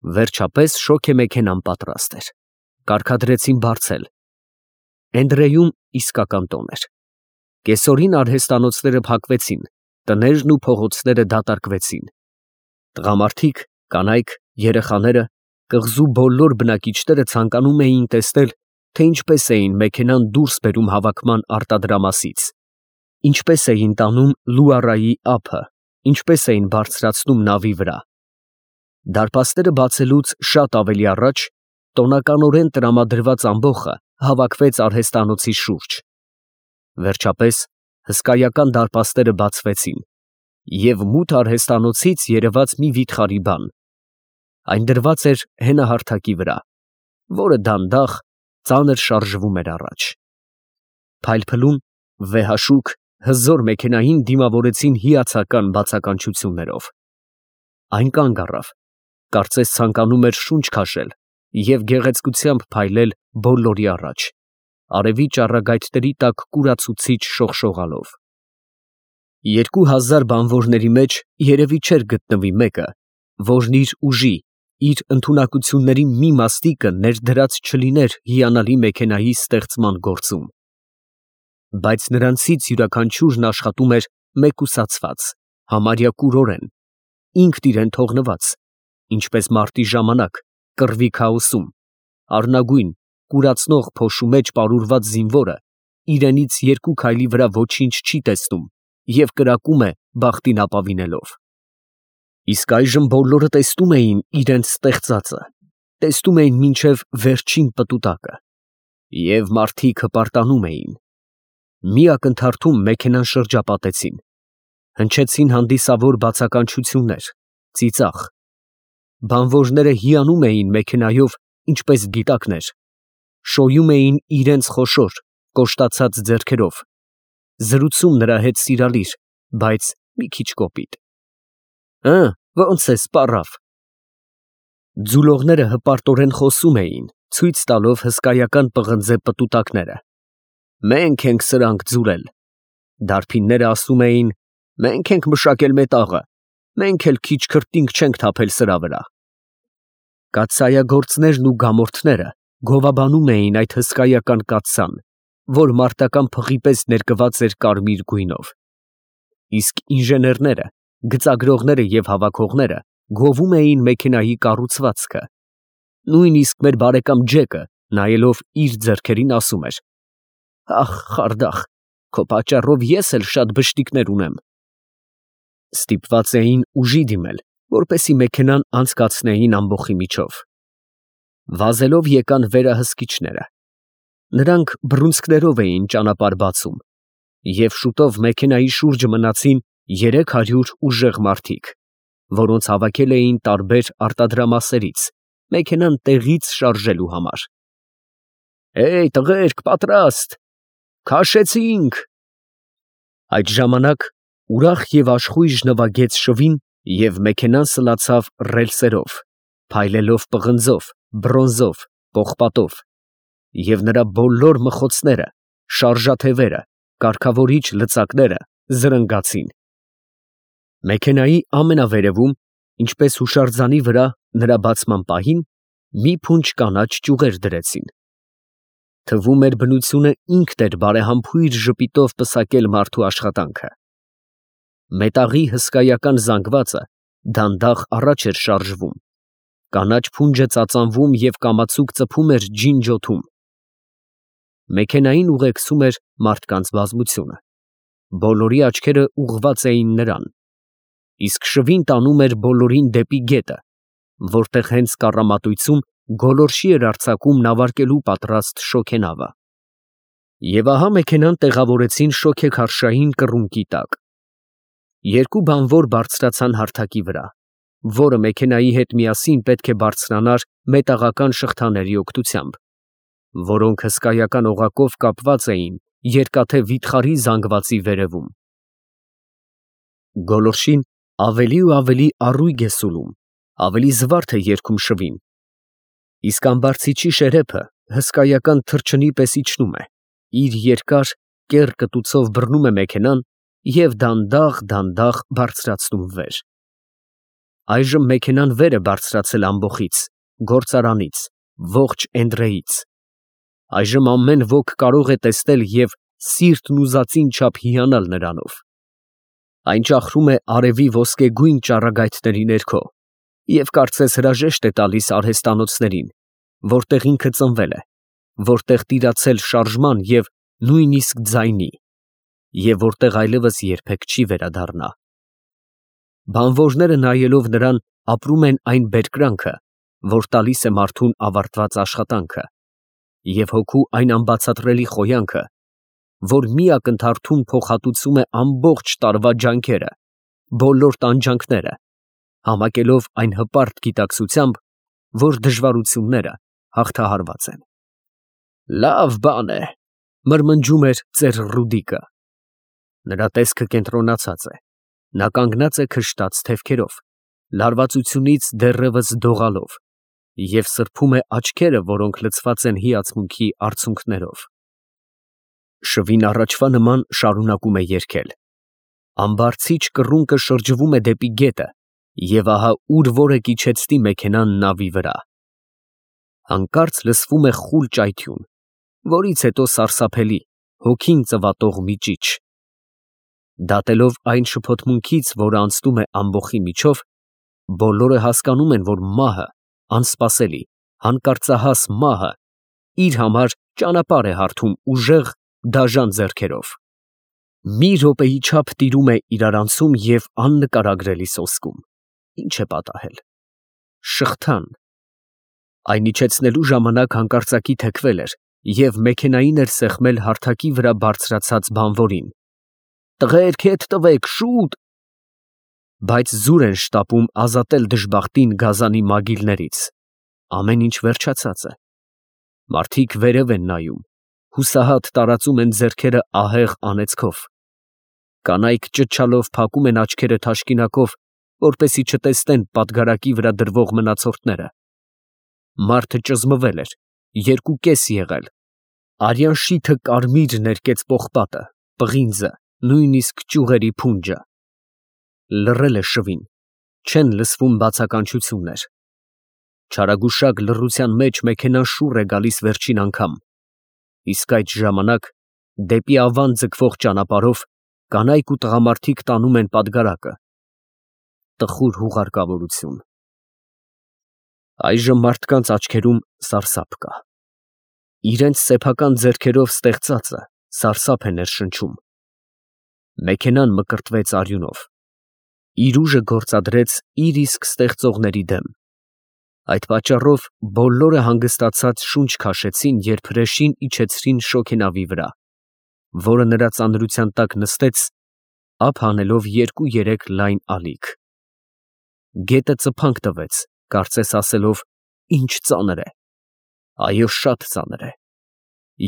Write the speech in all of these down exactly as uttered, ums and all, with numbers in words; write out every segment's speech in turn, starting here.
Վերջապես շոգե մեքենան պատրաստ էր, կարգադրեցին բարձել։ Էնդրեյում իսկական տոն էր։ Կեսօրին արհեստանոցները փակվեցին, տներն ու փողոցները դատարկվեցին։ Տղամարդիկ, կանայք, երեխաները, կղզու բոլոր բնակիչները ցանկանում էին տեսնել, թե ինչպես էին մեքենան դուրս բերում հավաքման արտադրամասից, ինչպես էին տանում Լուարայի ափը, ինչպես էին բարձրացնում նավի վրա։ Դարպասները բացելուց շատ ավելի առաջ տոնականորեն տրամադրված ամբոխը հավաքվեց արհեստանոցի շուրջ։ Վերջապես հսկայական դարպասները բացվեցին, և մութ արհեստանոցից երևաց մի վիթխարի բան. այն դրված էր հենահարթակի վրա, որը դանդաղ, ծանր շարժվում էր առաջ։ Փայլփլուն, վեհաշուք, հզոր մեքենային դիմավորեցին հիացական բացականչություններով։ Այն կանգ առավ, կարծես ցանկանում էր շունչ քաշել և գեղեցկությամբ փայլել բոլորի առաջ, արևի ճառագայթների տակ կուրացուցիչ շողշողալով։ Երկու հազար բանվորների մեջ երևի չէր գտնվի մեկը, որն իր ուժի, իր ընդունակությունների մի մասնիկը ներդրած չլիներ հիանալի մեքենայի ստեղծման գործում։ Բայց նրանցից յուրաքանչյուրն աշխատում էր մեկուսացված, համարյա կուրորեն, ինքն իրեն թողնված, ինչպես մարտի ժամանակ կռվի քաոսում, առնագույն, կուրացնող փոշու մեջ պարուրված զինվորը իրենից երկու քայլի վրա ոչինչ չի տեսնում և կրակում է բախտին ապավինելով։ Իսկ այժմ բոլորը տեսնում էին իրենց ստեղծածը, տեսնում էին մինչև վերջին պտուտակը, և մարդիկ հպարտանում էին։ Մի ակնթարթում մեքենան շրջապատեցին, հնչեցին հանդիսավոր բացականչություններ, ծիծաղ։ Բանվորները հիանում էին մեքենայով, ինչպես գիտակներ, շոյում էին իրենց խոշոր, կոշտացած ձեռքերով, զրուցում նրա հետ սիրալիր, բայց մի քիչ կոպիտ։ «Ը, ո՞նց է, սպառավ»։ Ձուլողները հպարտորեն խոսում էին, ցույց տալով հսկայական պղնձե պտուտակները։ «Մենք ենք սրանք ձուլել»։ Դարբինները ասում էին. «Մենք ենք մշակել մետաղը, մենք էլ քիչ քրտինք չենք թափել սրա վրա»։ Կաթսայագործներն ու գամորդները գովաբանում էին այդ հսկայական կաթսան, որ մարտական փղի պես ներկված էր կարմիր գույնով։ Իսկ ինժեներները, գծագրողները և հավաքողները գովում էին մեքենայի կառուցվածքը։ Նույնիսկ մեր բարեկամ Ջեկը, նայելով իր ձեռքերին, ասում էր. «Ախ, խարդախ, քո պատճառով ես էլ շատ բշտիկներ ունեմ»։ Ստիպված էին ուժի դիմել, որպեսզի մեքենան անցկացնեին ամբոխի միջով։ Վազելով եկան վերահսկիչները։ Նրանք բռունցքներով էին ճանապարհ բացում, և շուտով մեքենայի շուրջը մնացին երեք հարյուր ուժեղ մարդիկ, որոնց հավաքել էին տարբեր արտադրամասերից, մեքենան տեղից շարժելու համար։ «Հեյ, տղերք, պատրաստ, քաշեցինք»։ Այդ ժամանակ ուրախ և աշխույժ նվագեց շվին, և մեքենան սլացավ ռելսերով, փայլելով պղնձով, բրոնզով, պողպատով, և նրա բոլոր մխոցները, շարժաթևերը, կարգավորիչ լծակները զրնգացին։ Մեքենայի ամենավերևում, ինչպես հուշարձանի վրա նրա բացման պահին, մի փունջ կանաչ ճյուղեր դրեցին։ Թվում էր բնությունը ինքն էր բարեհամբույր ժպիտով պսակել մարդու աշխատանքը։ Մետաղի հսկայական զանգվածը դանդաղ առաջ էր շարժվում, կանաչ փունջը ծածանվում և կամացուկ ծփում էր ջինջոթում։ Մեքենային ուղեկցում էր մարդկանց բազմությունը, բոլորի աչքերը ուղղված էին նրան, իսկ շվին տանում էր բոլորին դեպի գետը, որտեղ հենց կառամատույցում գոլորշի էր արձակում նավարկելու պատրաստ շոգենավը։ Եվ ահա մեքենան տեղավորեցին շոգեքարշային կռունկի տակ։ Երկու բանվոր բարձրացան հարթակի վրա, որը մեքենայի հետ միասին պետք է բարձրանար մետաղական շղթաների օգնությամբ, որոնք հսկայական օղակով կապված էին երկաթե վիթխարի զանգվածի վերևում։ Գոլորշին ավելի ու ավելի առույգ է սուլում, ավելի զվարթ է երգում շվին, իսկ ամբարձիչի շերեփը հսկայական թռչնի պես իջնում է, իր երկար, կեռ կտուցով բռնում է մեքենան և դանդաղ֊դանդաղ բարձրացնում վեր։ Այժմ մեքենան վեր է բարձրացել ամբոխից, գործարանից, ողջ Էնդրեից. այժմ ամեն ոք կարող է տեսնել և սիրտն ուզածին չափ հիանալ նրանով. այն ճախրում է արևի ոսկեգույն ճառագայթների ներքո և կարծես հրաժեշտ է տալիս արհեստանոցներին, որտեղ ինքը ծնվել է, որտեղ տիրացել շարժման և նույնիսկ ձայնի, և որտեղ այլևս երբեք չի վերադառնա։ Բանվորները նայելով նրան ապրում են այն բերկրանքը, որ տալիս է մարդուն ավարտված աշխատանքը, և հոգու այն անբացատրելի խոյանքը, որ մի ակնթարթում փոխհատուցում է ամբողջ տարվա ջանքերը, բոլոր տանջանքները, համակելով այն հպարտ գիտակցությամբ, որ դժվարությունները հաղթահարված են։ «Լավ բան է», ֊ մրմնջում էր ծեր Ռուդիկը։ Նրա տեսքը կենտրոնացած է, նա կանգնած է քշտած թևքերով, լարվածությունից դեռևս դողալով, և սրբում է աչքերը, որոնք լցված են հիացմունքի արցունքներով։ Շվին առաջվա նման շարունակում է երգել. ամբարձիչ կռունկը շրջվում է դեպի գետը, և ահա ուր որ է կիջեցնի մեքենան նավի վրա։ Հանկարծ լսվում է խուլ ճայթյուն, որից հետո սարսափելի, հոգին ծվատող մի ճիչ։ Դատելով այն շփոթմունքից, որը անցնում է ամբոխի միջով, բոլորը հասկանում են, որ մահը, անսպասելի, հանկարծահաս մահը, իր համար ճանապարհ է հարթում ուժեղ, դաժան ձեռքերով։ Մի րոպեի չափ տիրում է իրարանցում և աննկարագրելի սոսկում։ Ի՞նչ է պատահել։ Շղթան։ Այն իջեցնելու ժամանակ հանկարծակի թեքվել էր և մեքենային էր սեղմել հարթակի վրա բարձրացած բանվորին։ «Տղերք, հետ տվեք, շուտ»։ Բայց զուր են շտապում ազատել դժբախտին գազանի մագիլներից։ Ամեն ինչ վերջացած է։ Մարդիկ վերև են նայում, հուսահատ տարածում են ձեռքերը ահեղ անեծքով։ Կանայք ճչալով փակում են աչքերը թաշկինակով, որպեսզի չտեսնեն պատգարակի վրա դրվող մնացորդները։ Մարդը ճզմվել էր, երկուկես եղել, արյան շիթը կարմիր ներկեց պողպատը, պղինձը, նույնիսկ ճյուղերի փունջը։ Լռել է շվին, չեն լսվում բացականչություններ։ Չարագուշակ լռության մեջ մեքենան շուռ է գալիս վերջին անգամ, իսկ այդ ժամանակ դեպի Ավան ձգվող ճանապարհով կանայք ու տղամարդիկ տանում են պատգարակը։ Տխուր հուղարկավորություն։ Այժմ մարդկանց աչքերում սարսափ կա։ Իրենց սեփական ձեռքերով ստեղծածը սարսափ է ներշնչում։ Մեքենան մկրտվեց արյունով։ Իր ուժը գործադրեց իր իսկ ստեղծողների դեմ։ Այդ պատճառով բոլորը հանգստացած շունչ քաշեցին, երբ հրեշին իջեցրին շոգենավի վրա, որը նրա ծանրության տակ նստեց, ափ հանելով երկու֊երեք լայն ալիք։ Գետը ծփանք տվեց, կարծես ասելով. «Ինչ ծանր է»։ Այո, շատ ծանր է։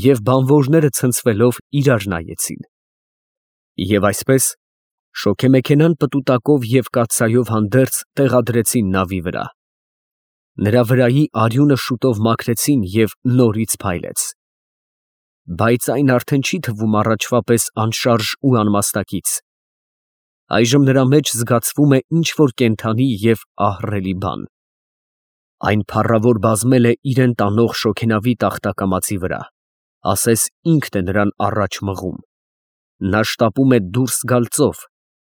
Եվ բանվորները ցնցվելով իրար նայեցին։ Եվ այսպես շոգեմեքենան պտուտակով և կաթսայով հանդերձ տեղադրեցին նավի վրա։ Նրա վրայի արյունը շուտով մաքրեցին և նորից փայլեց։ Բայց այն արդեն չի թվում առաջվա պես անշարժ ու անմասնակից։ Այժմ նրա մեջ զգացվում է ինչ֊որ կենդանի և ահռելի բան։ Այն փառավոր բազմել է իրան տանող շոգենավի տախտակամածի վրա, ասես ինքն է նրան առաջ մղում։ Նա շտապում է դուրս գալ ծով,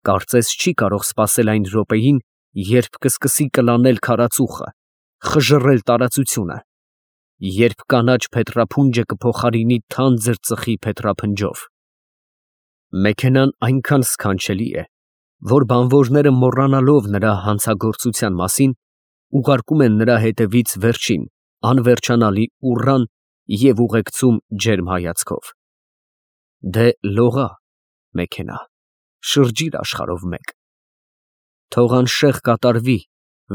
կարծես չի կարող սպասել այն րոպեին, երբ կսկսի կլանել քարածուխը, խժռել տարածությունը, երբ կանաչ փետրափունջը կփոխարինի թանձր ծխի փետրափնջով։ Մեքենան այնքան սքանչելի է, որ բանվորները մոռանալով նրա հանցագործության մասին, ուղարկում են նրա հետևից վերջին, անվերջանալի ուռան և ուղեկցում ջերմ հայացքով։ Դե լողա, մեքենա, շրջիր աշխարհով մեկ։ Թող անշեղ կատարվի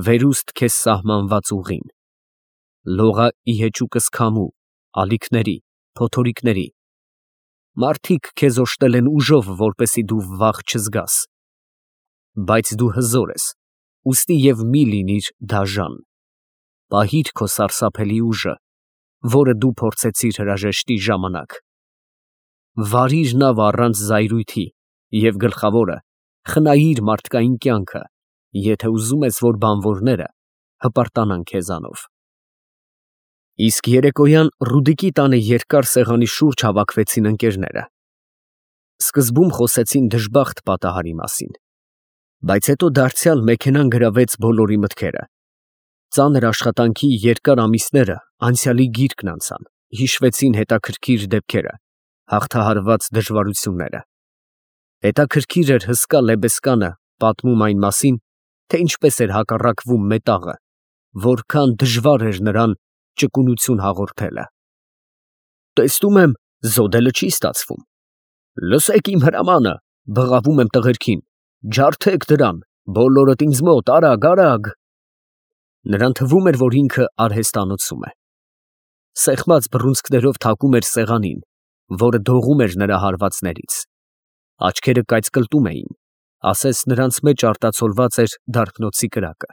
վերուստ քեզ սահմանված ուղին։ Լողա ի հեճուկս քամու, ալիքների, փոթորիկների։ Մարդիկ քեզ օժտել են ուժով, որպեսզի դու վախ չզգաս։ Բայց դու հզոր ես, ուստի և մի լինիր դաժան։ Պահիր քո սարսափելի ուժը, որը դու փորձեցիր հրաժեշտի ժամանակ։ Վարիր նավը առանց զայրույթի և, գլխավորը, խնայիր մարդկային կյանքը, եթե ուզում ես, որ բանվորները հպարտանան քեզանով։ Իսկ երեկոյան Ռուդիկի տանը երկար սեղանի շուրջ հավաքվեցին ընկերները։ Սկզբում խոսեցին դժբախտ պատահարի մասին, բայց հետո դարձյալ մեքենան գրավեց բոլորի մտքերը։ Ծանր աշխատանքի երկար ամիսները անցյալի գիրկն անցան, հիշվեցին հետաքրքիր դեպքերը, հաղթահարված դժվարությունները։ Հետաքրքիր էր հսկա Լեբեսկանը պատմում այն մասին, թե ինչպես էր հակառակվում մետաղը, որքան դժվար էր նրան ճկունություն հաղորդելը։ Տեսնում եմ, զոդելը չի ստացվում։ Լսեք իմ հրամանը, բղավում եմ տղերքին, ջարդեք դրան, բոլորդ ինձ մոտ, արագ, արագ։ Նրան թվում էր, որ ինքը արհեստանոցում է։ Սեղմած բռունցքներով թակում էր սեղանին, որը դողում էր նրա հարվածներից։ Աչքերը կայծկլտում էին, ասես նրանց մեջ արտացոլված էր դարբնոցի կրակը։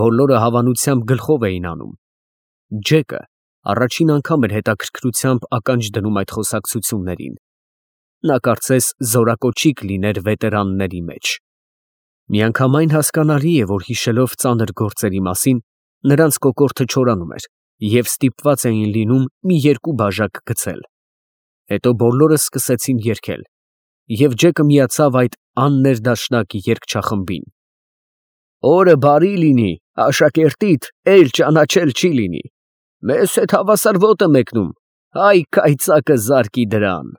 Բոլորը հավանությամբ գլխով էին անում։ Ջեկը առաջին անգամ էր հետաքրքրությամբ ականջ դնում այդ խոսակցություններին։ Նա կարծես զորակոչիկ լիներ վետերանների մեջ։ Միանգամայն հասկանալի է, որ հիշելով ծանր գործերի մասին, նրանց կոկորդը չորանում էր և ստիպված էին լինում մի երկու բաժակ գցել։ Հետո բոլորը սկսեցին երգել, և Ջեկը միացավ այդ աններդաշնակ երգչախմբին։ Օրը բարի լինի, աշակերտիդ էլ ճանաչել չի լինի։ Մեզ հետ հավասար ոտը մեկնում, հայ կայծակը զարկի դրան։